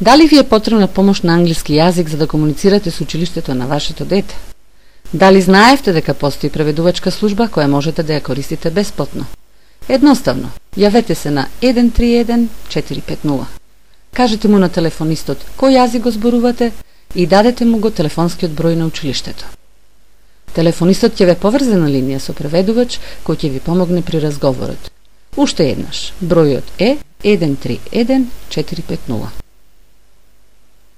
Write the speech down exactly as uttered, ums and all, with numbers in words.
Дали ви е потребна помош на англиски јазик за да комуницирате со училиштето на вашето дете? Дали знаевте дека постои преведувачка служба која можете да ја користите бесплатно? Едноставно, јавете се на еден три еден четири пет нула. Кажете му на телефонистот кој јазик го зборувате и дадете му го телефонскиот број на училиштето. Телефонистот ќе ве поврзе на линија со преведувач кој ќе ви помогне при разговорот. Уште еднаш, бројот е еден три еден четири пет нула.